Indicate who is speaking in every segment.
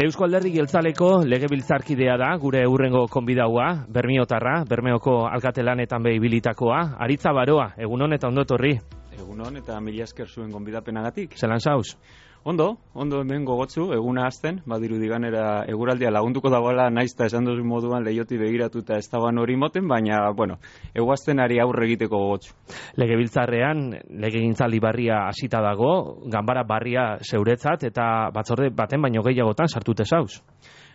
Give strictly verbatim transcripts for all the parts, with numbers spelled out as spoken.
Speaker 1: Eusko Alderdi Jeltzaleko legebiltzarkidea da, gure hurrengo konbidaua, Bermiotarra, Bermeoko alkatelanetan behi bilitakoa, Aritza Baroa, egunon eta ondo etorri.
Speaker 2: Egunon eta mila esker zuen gonbidapenagatik.
Speaker 1: Zelan zauz?
Speaker 2: Ondo, ondo hemen gogotzu, eguna azten, badiru diganera eguraldia lagunduko dagoela, naizta esan duzu moduan lehioti begiratuta ez dagoan hori moten, baina, bueno, eguaztenari aurre egiteko gogotzu.
Speaker 1: Legebiltzarrean, legegintzaldi barria hasita dago, ganbara barria zeuretzat eta batzorde baten baino gehiagotan sartute zauz.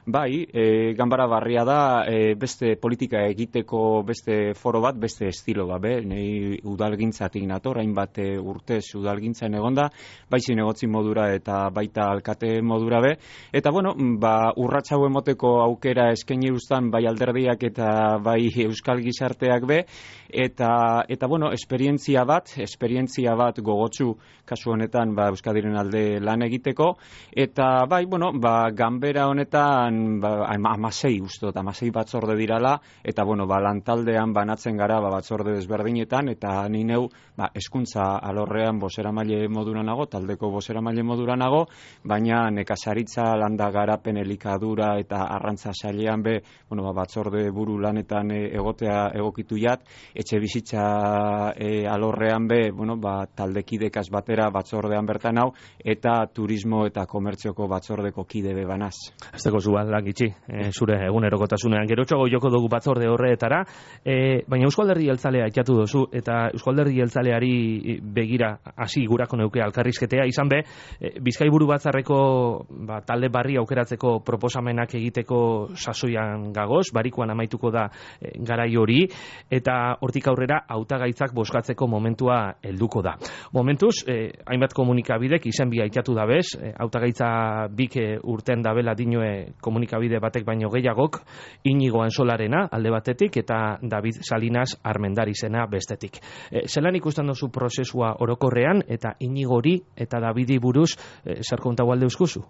Speaker 2: Bai, e, ganbara barria da, e, beste politika egiteko beste foro bat, beste estilo bat, be? Nei udalgintzatik nator, hainbat e, urtez udalgintzan egonda, bai zinegotzi modura eta baita alkate modura be. Eta, bueno, ba, urratxau emoteko aukera eskaini ustan bai alderdiak eta bai euskal gizarteak be, eta, eta bueno, esperientzia bat, esperientzia bat gogotsu kasu honetan ba, Euskadiren alde lan egiteko, eta bai, bueno, ba, ganbera honetan ba, amasei ustot, amasei batzorde dirala, eta bueno, ba, lantaldean banatzen gara ba, batzorde desberdinetan, eta ni neu ba, hezkuntza alorrean boseramaile modura nago, taldeko boseramaile modura nago, baina nekazaritza, landa garapen, elikadura eta arrantza sailean be, bueno, ba, batzorde buru lanetan e, egotea egokitu jat, etxe bizitza e, alorrean be, bueno, ba, taldekidekaz batera batzordean bertan hau, eta turismo eta komertzioko batzordeko kide be banaz.
Speaker 1: Azteko zuan lan gitxi, e, zure egunerokotasunean. Gerotxoago joko dugu batzorde horretara, e, baina Eusko Alderdi Jeltzalea itxatu duzu, eta Eusko Alderdi Jeltzaleari begira hasi gurako neuke alkarrizketea, izan be, e, Bizkaiburu batzarreko ba, talde barri aukeratzeko proposamenak egiteko sasoian gagoz, barikuan amaituko da e, garai hori, eta hortik aurrera hautagaitzak bozkatzeko momentua helduko da. Momentuz, eh, hainbat komunikabidek izen bia itxatu da bez, eh, hautagaitza bik eh, urten dabela dinoe komunikabide batek baino gehiagok, Inigo Ansolarena alde batetik eta David Salinas Armendarizena bestetik. Eh, zelan ikusten duzu prozesua orokorrean eta Inigori eta Davidi buruz eh, zer kontago alde euskuzu?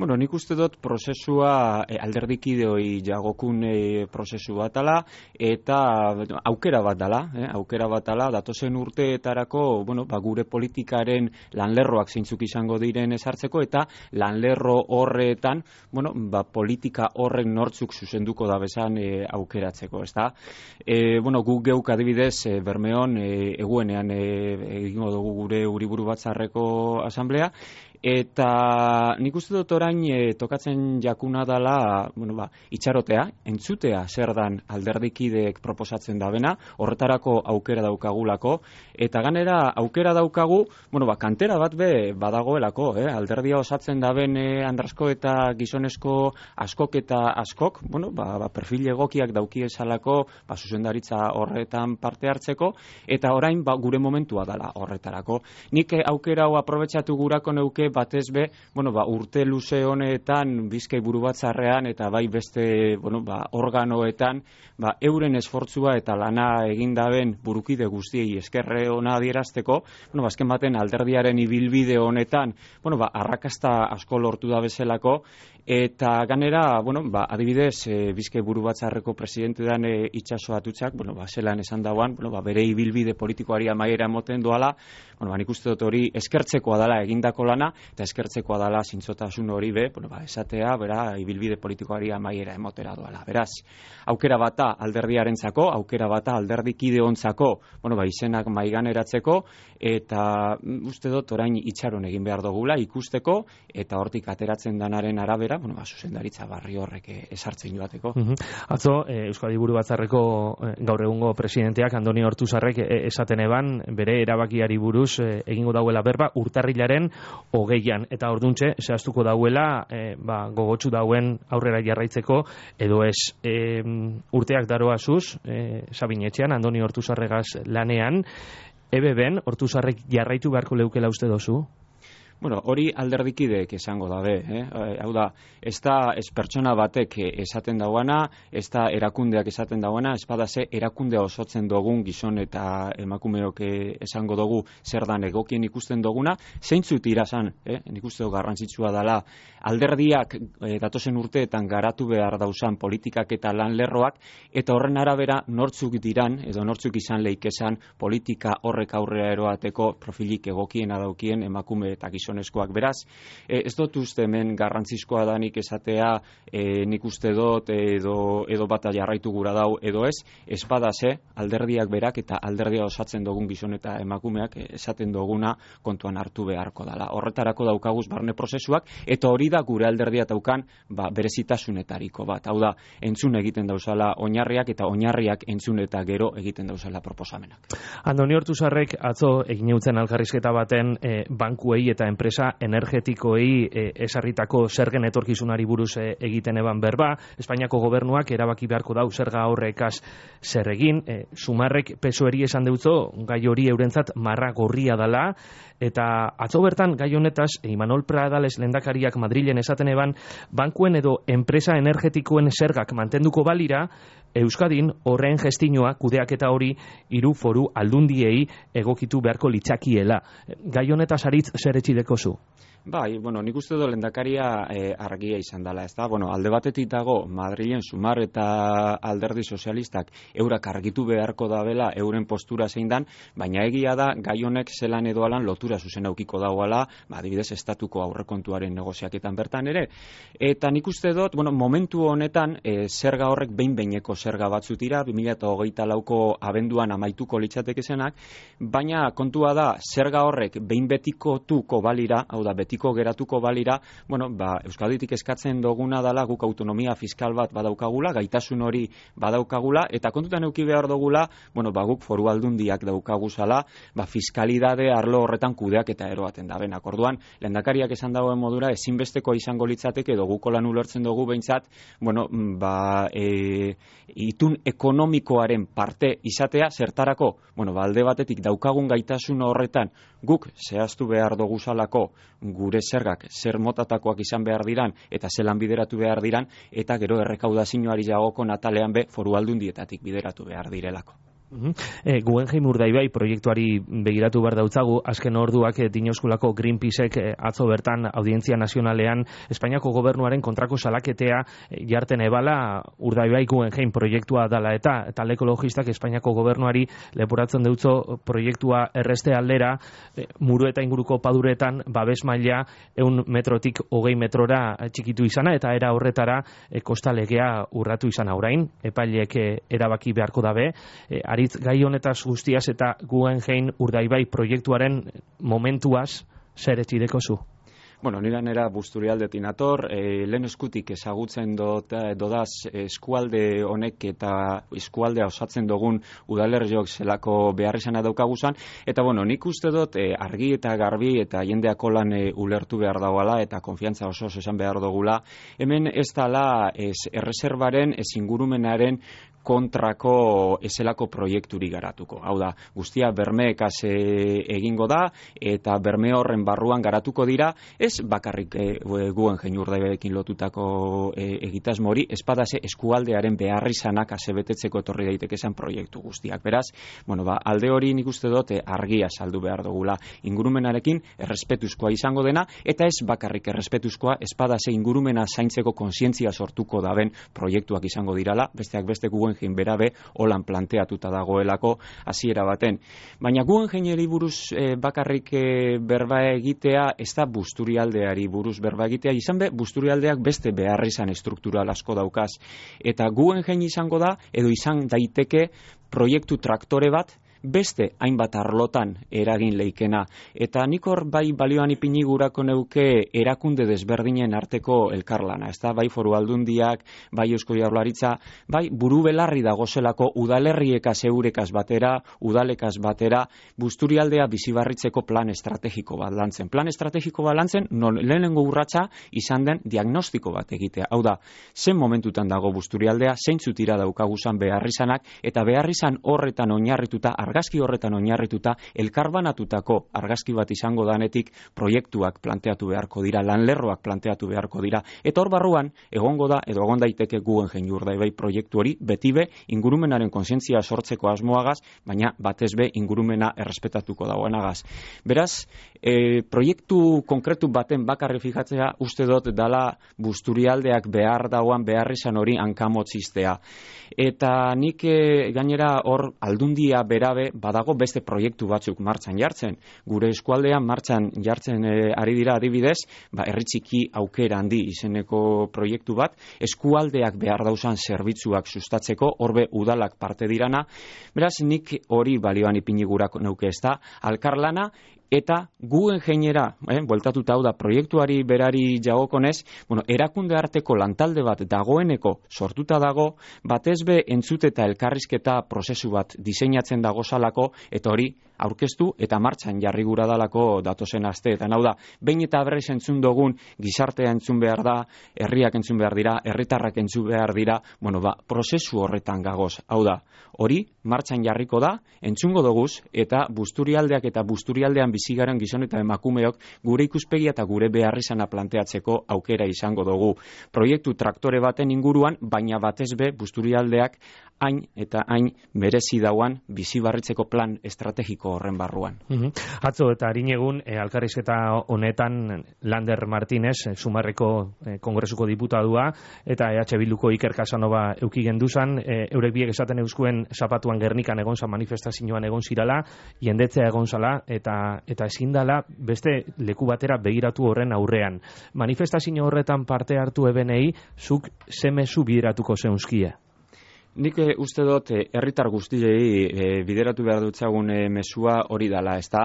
Speaker 2: Bueno, nik uste dut prozesua e, alderdikideoi jagokun e, prozesu bat dela, eta aukera bat dela, eh, aukera bat dela, datozen urteetarako, bueno, ba, gure politikaren lanlerroak zeintzuk izango diren ezartzeko, eta lanlerro horretan, bueno, ba, politika horren nortzuk zuzenduko da bezan e, aukeratzeko, ezta? E, bueno, guk geuk adibidez, e, Bermeon, e, eguenean e, egingo dugu gure uriburu batzarreko asamblea, eta nik uste dut orain e, tokatzen jakuna dela, bueno, ba, itxarotea, entzutea zer dan alderdikideek proposatzen dabena, horretarako aukera daukagulako, eta ganera aukera daukagu, bueno, ba, kantera bat be badagoelako, eh? Alderdia osatzen daben e, andrasko eta gizonesko askok eta askok, bueno, ba, ba, perfil egokiak dauki esalako, ba, zuzendaritza horretan parte hartzeko, eta orain ba, gure momentua dela horretarako. Nik e, aukera hau aprobetxatu gurako neuke batez be, bueno, ba, urte luze honetan Bizkai buru batzarrean eta bai beste, bueno, ba, organoetan, ba, euren esfortzua eta lana egin daben burukide guztiei eskerre ona adierazteko, bueno, ba, azken baten alderdiaren ibilbide honetan, bueno, ba, arrakasta asko lortu da bezalako, eta ganera, bueno, ba, adibidez, e, Bizkai buru batzarreko presidente dan e, Itxaso Atutxak, bueno, ba, zelan esan dauan, bueno, ba, bere ibilbide politikoari amaiera emoten doala, bueno, ba, nik uste dut hori eskertzekoa dela egindako lana, eta eskertzekoa dela zintzotasun hori be, bueno, ba, esatea, bera, ibilbide politikoari amaiera emotera doala. Beraz, aukera bata alderdiarentzako, aukera bata alderdikideontzako, bueno, ba, izenak maiganeratzeko, eta uste dut orain itxaron egin behar dugula ikusteko, eta hortik ateratzen danaren arabera, bueno, ba, zuzendaritza barri horrek esartzen joateko.
Speaker 1: Uh-huh. Atzo, e, Euskadi Buru Batzarreko e, gaur egungo presidenteak Andoni Ortuzarrek e, esaten eban, bere erabakiari buruz e, egingo dauela berba urtarrilaren hogeian, eta orduntxe, zehaztuko dauela, e, ba, gogotsu dauen aurrera jarraitzeko, edo ez e, urteak daroazuz, e, Sabinetxean, Andoni Ortuzarregaz lanean, ebe ben, Ortuzarrek jarraitu beharko leukela uste dozu?
Speaker 2: Bueno, hori alderdikideek esango dabe, eh? Hau da, ez da ez pertsona batek esaten dauana, ez da erakundeak esaten dauana, ez bada ze erakundea osotzen dugun gizon eta emakumeok esango dugu zer dan egokien ikusten duguna, zeintzut irazan, eh? Nik uste dugu garrantzitsua dela, alderdiak eh, datozen urteetan garatu behar dauzan politikak eta lanlerroak, eta horren arabera nortzuk diran, edo nortzuk izan leikesan politika horrek aurrera eroateko profilik egokiena daukien emakume eta gizon gizonezkoak. Beraz, e, ez dut uste hemen garrantzizkoa da nik esatea, e, nik uste dut edo, edo bata jarraitu gura dau edo ez, espadase alderdiak berak eta alderdia osatzen dugun gizon eta emakumeak esaten duguna kontuan hartu beharko dala. Horretarako daukaguz barne prozesuak, eta hori da gure alderdia daukan ba, berezitasunetariko bat. Hau da, entzun egiten dauzala oinarriak eta oinarriak entzun eta gero egiten dauzala proposamenak.
Speaker 1: Andoni Ortuzarrek atzo egin eutzen elkarrizketa baten e, bankuei eta enpresa energetikoei e, esarritako zergen etorkizunari buruz e, egiten eban berba. Espainiako gobernuak erabaki beharko dau zerga horrekaz zer egin. E, Sumarrek P S O E-ri esan deutzo gai hori eurentzat marra gorria dala, eta atzo bertan gai honetaz Imanol Pradales lehendakariak Madrilen esaten eban bankuen edo enpresa energetikoen zergak mantenduko balira, Euskadin horren gestinoa kudeaketa hori hiru foru aldundiei egokitu beharko litzakiela. Gai honetaz aritz zer etxideko zu?
Speaker 2: Bai, bueno, nik uste dut lehendakaria eh, argia izan dela, ez da? Bueno, alde batetik dago Madrilen Sumar eta Alderdi Sozialistak eurak argitu beharko dabela euren postura zein dan, baina egia da gai honek zelan edo alan lotura zuzen aukiko dagoala, ba, adibidez estatuko aurrekontuaren negoziaketan bertan ere. Eta nik uste dut, bueno, momentu honetan eh, zerga horrek behin-behineko zerga batzutira, bi mila hogeita lauko abenduan amaituko litzateke zenak, baina kontua da zerga horrek behin betikotuko balira, hau da, betiko geratuko balira, bueno, ba, Euskaditik eskatzen duguna dala guk autonomia fiskal bat badaukagula, gaitasun hori badaukagula, eta kontutan euki behar dugula, bueno, ba, guk foru aldundiak daukaguzala, ba, fiskalidade arlo horretan kudeak eta eroaten da benak. Orduan, lehendakariak esan dagoen modura, ezinbesteko izango litzateke, edo guko lan ulertzen dugu behintzat, bueno, ba, e, itun ekonomikoaren parte izatea, zertarako, bueno, ba, alde batetik daukagun gaitasun horretan, guk zehaztu behar doguzalako gure zergak zer motatakoak izan behar diran eta zelan bideratu behar diran, eta gero errekaudazioari jagoko natalean be foru aldundietatik bideratu behar direlako.
Speaker 1: Uh-huh. E, Guggenheim Urdaibai proiektuari begiratu behar dautzagu, azken orduak e, Dinauskulako Greenpeacek e, atzo bertan Audientzia Nazionalean Espainiako gobernuaren kontrako salaketea e, jarten ebala Urdaibai Guggenheim proiektua dala, eta talde ekologistak Espainiako gobernuari leporatzen deutzo proiektua erreste aldera e, muru eta inguruko paduretan babes maila ehun metrotik hogei metrora txikitu izana, eta era horretara e, kostalegea urratu izana. Orain epaileek e, erabaki beharko dabe, e, aritz gai honetaz guztiaz eta Guggenheim Urdaibai proiektuaren momentuaz zer etxideko zu?
Speaker 2: Bueno, nira nera Busturialdetik nator, e, lehen eskutik ezagutzen dot, dodaz eskualde honek eta eskualdea osatzen dugun udalerriok zelako behar izana daukaguzan, eta bueno, nik uste dut e, argi eta garbi eta jendeako lan e, ulertu behar dagoala eta konfiantza oso esan behar dugula. Hemen ez dala ez erreserbaren, ez ingurumenaren kontrako ezelako proiekturi garatuko. Hau da, guztia bermeekaz e, egingo da, eta berme horren barruan garatuko dira, ez bakarrik e, Guggenheim Urdaibaiekin lotutako e, egitasmo hori, espadase eskualdearen beharrizanak asebetetzeko etorri daitekezan proiektu guztiak. Beraz, bueno, ba, alde hori nik uste dut argia saldu behar dugula. Ingurumenarekin errespetuzkoa izango dena, eta ez bakarrik errespetuzkoa, espadase ingurumena zaintzeko kontzientzia sortuko daben proiektuak izango dirala, besteak beste Guggenheim berabe holan planteatuta dagoelako hasiera baten. Baina Guggenheimeri buruz e, bakarrik e, berba egitea ez da Busturialdeari buruz berba egitea, izan be Busturialdeak beste behar izan estruktural asko daukaz. Eta Guggenheim izango da, edo izan daiteke proiektu traktore bat, beste hainbat arlotan eragin leikena. Eta nik hor bai balioan ipini gurako neuke erakunde desberdinen arteko elkarlana, ez da, bai foru aldundiak, bai Eusko Jaurlaritza, bai buru belarri dagozelako udalerriekaz eurekaz batera, udalekaz batera, Busturialdea bizibarritzeko plan estrategiko bat lantzen. Plan estrategiko bat lantzen, non lehenengo urratsa izan den diagnostiko bat egitea. Hau da, zen momentutan dago Busturialdea, zeintzutira daukaguzan beharrizanak, eta beharrizan horretan oinarrituta, argazki horretan oinarrituta, elkarbanatutako argazki bat izango danetik proiektuak planteatu beharko dira, lanlerroak planteatu beharko dira, eta hor barruan egongo da, edo egon daiteke Guggenheim Urdaibai proiektu hori, beti be ingurumenaren kontzientzia sortzeko asmoagaz, baina batez be ingurumena errespetatuko dagoenagaz. Beraz, e, proiektu konkretu baten bakarri fijatzea uste dut dala Busturialdeak behar dagoan beharrizan hori hankamotzistea. Eta nik e, gainera hor aldundia berabe be, badago beste proiektu batzuk martxan jartzen. Gure eskualdean martxan jartzen e, ari dira adibidez, ba, herri txiki aukera handi izeneko proiektu bat, eskualdeak behar dauzan zerbitzuak sustatzeko, horbe udalak parte dirana, beraz nik hori balioan ipini gurak neuke ez da, alkarlana, eta gu ingeniera, eh, bueltatuta hau da, proiektuari berari jagokonez, bueno, erakunde arteko lantalde bat dagoeneko sortuta dago, batez be entzute eta elkarrizketa prozesu bat diseinatzen dago salako, eta hori aurkeztu eta martxan jarri gura dalako datozen asteetan. Hau da, behin eta berriz entzun dugun gizartea entzun behar da, herriak entzun behar dira, herritarrak entzun behar dira, bueno, ba, prozesu horretan gagoz. Hau da, hori martxan jarriko da, entzungo doguz, eta Busturialdeak eta Busturialdean bizigaren gizon eta emakumeok gure ikuspegia eta gure beharrizana planteatzeko aukera izango dugu. Proiektu traktore baten inguruan, baina batez be Busturialdeak hain eta hain merezi dauan bizibarritzeko plan estrategiko horren barruan.
Speaker 1: Mm-hmm. Atzo eta harin egun, e, alkarrizketa honetan Lander Martínez, e, Sumarreko e, kongresuko diputadua, eta E H Bilduko Iker Casanova euki genduzan, e, eurek biek esaten euskuen zapatuan Gernikan egon zan manifestazioan egon zirala, jendetzea egon zala, eta, eta ezin dala beste leku batera begiratu horren aurrean. Manifestazio horretan parte hartu ebenei, zuk zemezu bideratuko zeunzkia?
Speaker 2: Nik e, uste dut e, herritar guztiei e, bideratu behar dutzagun e, mesua hori dala, ez da?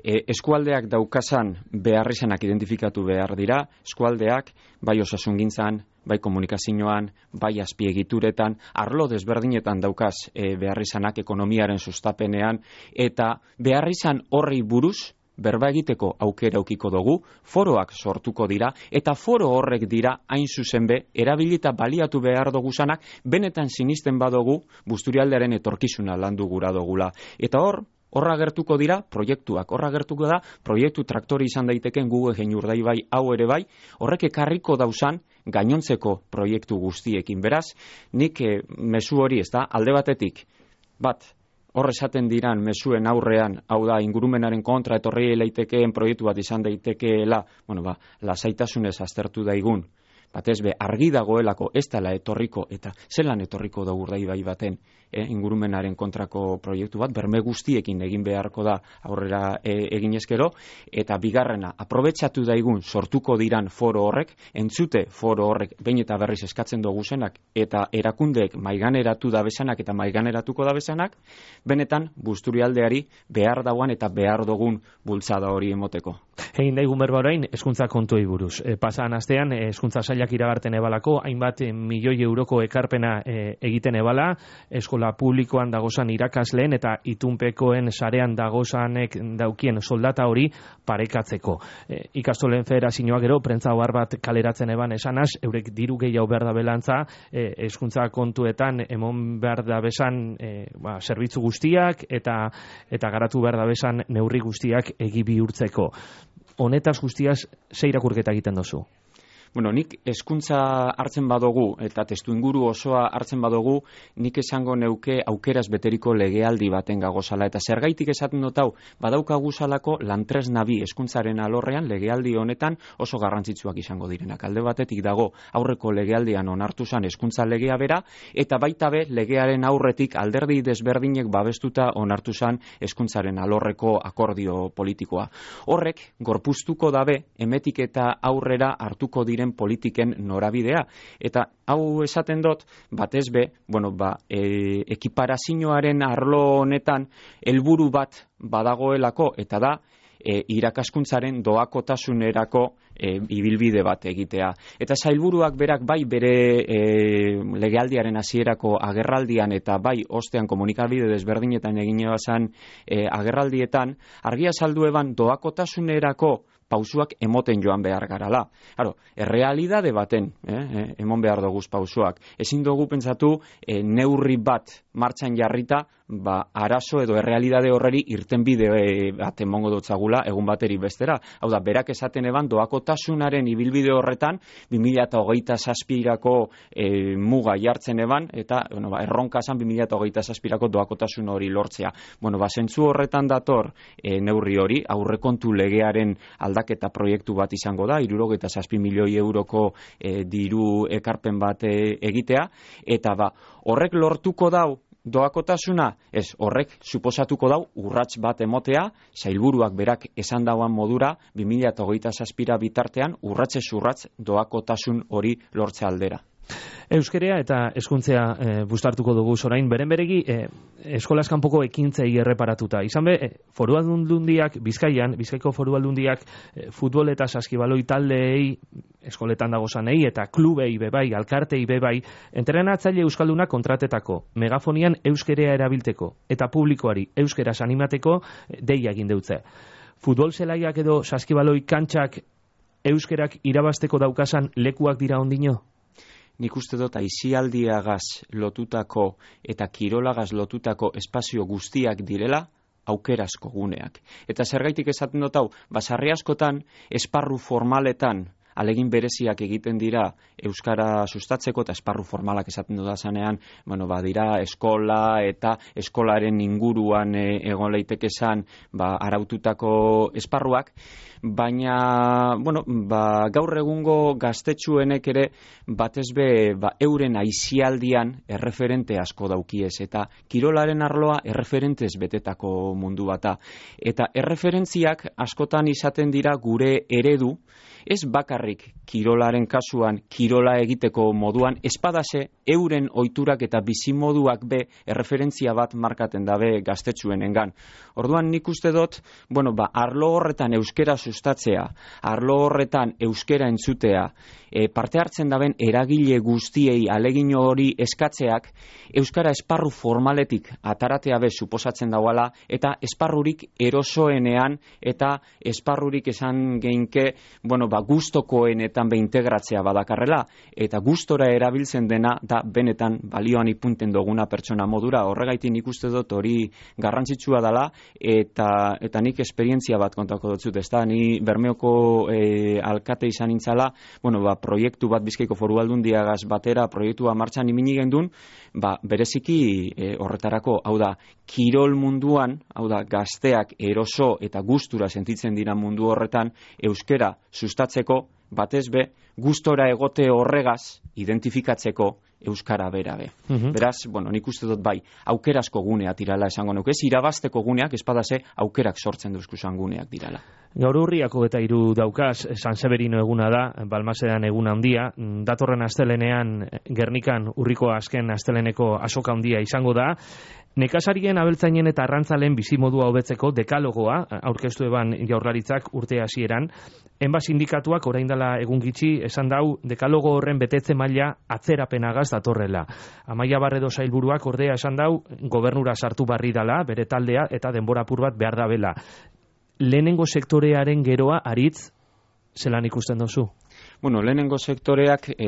Speaker 2: E, eskualdeak daukasan beharrizanak identifikatu behar dira, eskualdeak bai osasungintzan, bai komunikazioan, bai azpiegituretan, arlo desberdinetan daukaz e, beharrizanak ekonomiaren sustapenean, eta beharrizan horri buruz, berba egiteko aukera aukiko dugu, foroak sortuko dira, eta foro horrek dira hain zuzen be, erabilita baliatu behar duguzanak, benetan sinisten badugu Busturialdearen etorkizuna landu gura dugula. Eta hor, horra gertuko dira proiektuak, horra gertuko da proiektu traktori izan daiteken Google Gein bai, hau ere bai, horrek ekarriko dauzan gainontzeko proiektu guztiekin. Beraz, nik eh, mezu hori, ez da, alde batetik, bat, hor esaten diran mezuen aurrean, hau da, ingurumenaren kontra etorri leitekeen proiektu bat izan daitekeela, bueno, ba, lasaitasunez aztertu daigun, batez be, argi dagoelako ez dela etorriko, eta zelan etorriko da urdaibai baten, eh, ingurumenaren kontrako proiektu bat, berme guztiekin egin beharko da aurrera e, egin ezkero, eta bigarrena, aprobetxatu daigun sortuko diran foro horrek, entzute foro horrek behin eta berriz eskatzen dugu zenak, eta erakundeek maiganeratu da bezanak eta maiganeratuko da bezanak, benetan Busturialdeari behar dauan eta behar dugun bultzada hori emoteko.
Speaker 1: Egin daigun berba orain, hezkuntza kontuei buruz. E, pasan astean, hezkuntza sailak iragarten ebalako, hainbat e, milioi euroko ekarpena e, egiten ebala, eskola publikoan dagozan irakasleen eta itunpekoen sarean dagozanek daukien soldata hori parekatzeko. E, ikastolen federazioak gero, prentza ohar bat kaleratzen eban esanaz, eurek diru gehiago behar da belantza, e, hezkuntza kontuetan emon behar da bezan e, ba, zerbitzu guztiak eta eta garatu behar da bezan neurri guztiak egi bihurtzeko. Honetaz guztiaz, ze irakurketa egiten dozu?
Speaker 2: Bueno, nik hezkuntza hartzen badugu eta testuinguru osoa hartzen badugu, nik esango neuke aukeraz beteriko legealdi baten gagozala. Eta zergaitik esaten dut hau, badaukagu salako lantresna bi hezkuntzaren alorrean legealdi honetan oso garrantzitsuak izango direnak. Alde batetik dago aurreko legealdian onartu zan hezkuntza legea bera, eta baita be legearen aurretik alderdi desberdinek babestuta onartu zan hezkuntzaren alorreko akordio politikoa. Horrek gorpuztuko dabe emetik eta aurrera hartuko diren politiken norabidea. Eta hau esaten dut, batez be, bueno, ba, e, ekiparazioaren arlo honetan helburu bat badagoelako, eta da, e, irakaskuntzaren doakotasunerako e, ibilbide bat egitea. Eta sailburuak berak bai bere e, legealdiaren hasierako agerraldian eta bai ostean komunikabide desberdinetan egin ebazan e, agerraldietan, argia saldu eban doakotasunerako pausuak emoten joan behar garala. Claro, errealidade baten, eh, emon behar doguz pausuak. Ezin dugu pentsatu eh, neurri bat martxan jarrita, ba, arazo edo errealidade horreri irtenbide e, bat emongo dutzagula egun bateri bestera. Hau da, berak esaten eban doakotasunaren ibilbide horretan bi mila hogeita zazpirako e, muga jartzen eban, eta bueno, ba, erronka zan bi mila hogeita zazpirako doakotasun hori lortzea. Bueno, ba, zentzu horretan dator e, neurri hori, aurrekontu legearen aldaketa proiektu bat izango da, hirurogeita zazpi milioi euroko e, diru ekarpen bat e, egitea, eta ba, horrek lortuko dau doakotasuna, ez, horrek suposatuko dau urrats bat emotea, sailburuak berak esan dauan modura, bi mila hogeita zazpira bitartean urratsez urrats doakotasun hori lortze aldera.
Speaker 1: Euskerea eta hezkuntzea e, bustartuko dugu orain beren beregi e, eskolaz kanpoko ekintzei erreparatuta. Izan be, e, foru aldundiak, Bizkaian, Bizkaiko foru aldundiak e, futbol eta saskibaloi taldeei, eskoletan dagozanei eta klubei bebai, alkartei bebai, entrenatzaile euskaldunak kontratetako, megafonian euskerea erabilteko eta publikoari euskeraz animateko e, deia egin deutze. Futbol zelaiak edo saskibaloi kantxak euskerak irabasteko daukasan lekuak dira ondino?
Speaker 2: Nik uste dut aisialdiagaz lotutako eta kirolagaz lotutako espazio guztiak direla aukerazko guneak. Eta zergaitik esaten dut hau, basarri askotan, esparru formaletan alegin bereziak egiten dira euskara sustatzeko eta esparru formalak esaten dut zanean, bueno, ba, dira eskola eta eskolaren inguruan e, egon leiteke esan ba, araututako esparruak, baina bueno, ba, gaur egungo gaztetxuenek ere batez be ba, euren aisialdian erreferente asko daukiez eta kirolaren arloa erreferentez betetako mundu bata. Eta erreferentziak askotan izaten dira gure eredu, ez bakarrik kirolaren kasuan, kirola egiteko moduan, espadase euren ohiturak eta bizimoduak be erreferentzia bat markaten dabe gaztetxuenengan. Orduan nik uste dut, bueno, ba, arlo horretan euskera sustatzea, arlo horretan euskera entzutea, e, parte hartzen daben eragile guztiei alegin hori eskatzeak, euskara esparru formaletik ataratea be suposatzen dauala, eta esparrurik erosoenean, eta esparrurik esan geinke, bueno, ba, gustokoenetan be integratzea badakarrela, eta gustora erabiltzen dena da benetan balioan ipunten duguna pertsona modura. Horregaitik nik uste dut hori garrantzitsua dela, eta eta nik esperientzia bat kontako dut zut, ezta, ni Bermeoko e, alkate izan nintzala, bueno, ba, proiektu bat Bizkaiko foru aldundiagaz batera proiektua martxan imini gendun, ba, bereziki e, horretarako, hau da, kirol munduan, hau da, gazteak eroso eta gustura sentitzen dira mundu horretan, euskera sustatzeko, batez be, gustora egote horregaz identifikatzeko euskara bera be. Uh-huh. Beraz, bueno, nik uste dut bai, aukerazko gunea tirala esango nuke, ez irabazteko guneak, espadase aukerak sortzen duzkuzan guneak dirala.
Speaker 1: Gaur urriako eta hiru daukaz, San Severino eguna da, Balmasedan eguna handia, datorren astelenean Gernikan urriko azken asteleneko asoka handia izango da. Nekazarien, abeltzainen eta arrantzalen bizimodua hobetzeko dekalogoa aurkeztu eban Jaurlaritzak urte hasieran. Enba sindikatuak orain dela egun gitxi esan dau dekalogo horren betetze maila atzerapenagaz datorrela. Amaia Barredo sailburuak ordea esan dau gobernura sartu barri dala, bere taldea eta denbora apur bat behar dabela. Lehenengo sektorearen geroa aritz zelan ikusten duzu?
Speaker 2: Bueno, lehenengo sektoreak e,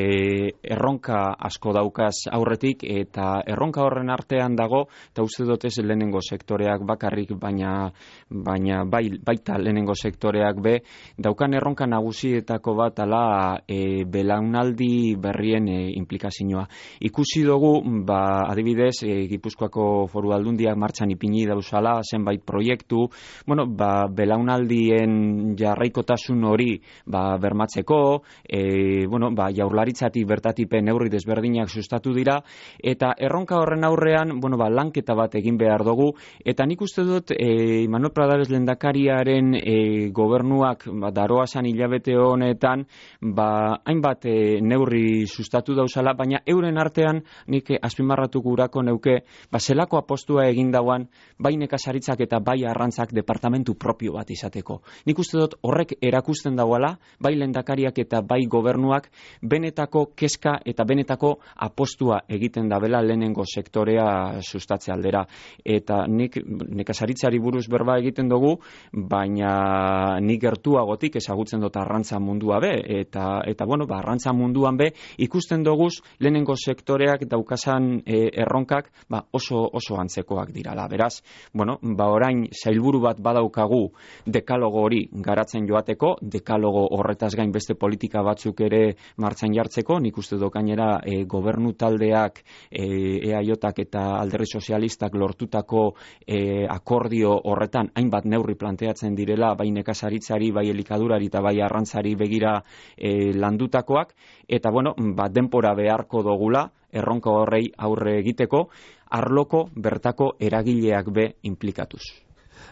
Speaker 2: erronka asko daukaz aurretik eta erronka horren artean dago, eta uste dut ez lehenengo sektoreak bakarrik, baina, baina bai, baita lehenengo sektoreak be, daukan erronka nagusietako bat ala e, belaunaldi berrien e, implikazioa. Ikusi dugu, ba, adibidez, e, Gipuzkoako foru aldundiak martxan ipini dauzala, zenbait proiektu, bueno, ba, belaunaldien jarraikotasun hori ba, bermatzeko, E, bueno, ba, Jaurlaritzatik bertatipe neurri desberdinak sustatu dira, eta erronka horren aurrean, bueno, ba, lanketa bat egin behar dugu, eta nik uste dut e, Manuel Pradares lehendakariaren e, gobernuak ba, daroasan hilabete honetan ba, hainbat e, neurri sustatu dauzala, baina euren artean nik azpimarratu gurako neuke ba, zelako apostua egin dauan bai nekazaritzak eta bai arrantzak departamentu propio bat izateko. Nik uste dut horrek erakusten dauala, bai lehendakariak eta bai gobernuak benetako kezka eta benetako apostua egiten dabela lehenengo sektorea sustatze aldera. Eta nik nekazaritzari buruz berba egiten dugu, baina nik gertuagotik ezagutzen dut arrantza mundua be, eta, eta bueno, ba, arrantza munduan be, ikusten duguz lehenengo sektoreak daukazan e, erronkak ba, oso, oso antzekoak dirala. Beraz, bueno, ba, orain sailburu bat badaukagu dekalogo hori garatzen joateko, dekalogo horretaz gain beste politika politika batzuk ere martxan jartzeko, nik uste dut gainera e, gobernu taldeak e, E A J-ak eta Alderdi Sozialistak lortutako e, akordio horretan hainbat neurri planteatzen direla, bai nekazaritzari, bai elikadurari eta bai arrantzari begira e, landutakoak, eta bueno, ba, denpora beharko dogula, erronka horrei aurre egiteko, arloko bertako eragileak be implikatuz.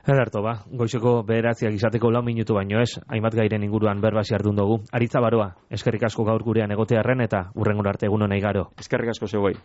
Speaker 1: Ederto, ba, goizeko bederatziak izateko lau minutu baino ez, hainbat gairen inguruan berbasi ardun dugu. Aritza Baroa, eskerrik asko gaur gurean egotearren eta hurrengora arte egun honei garo.
Speaker 2: Eskerrik asko zeuei.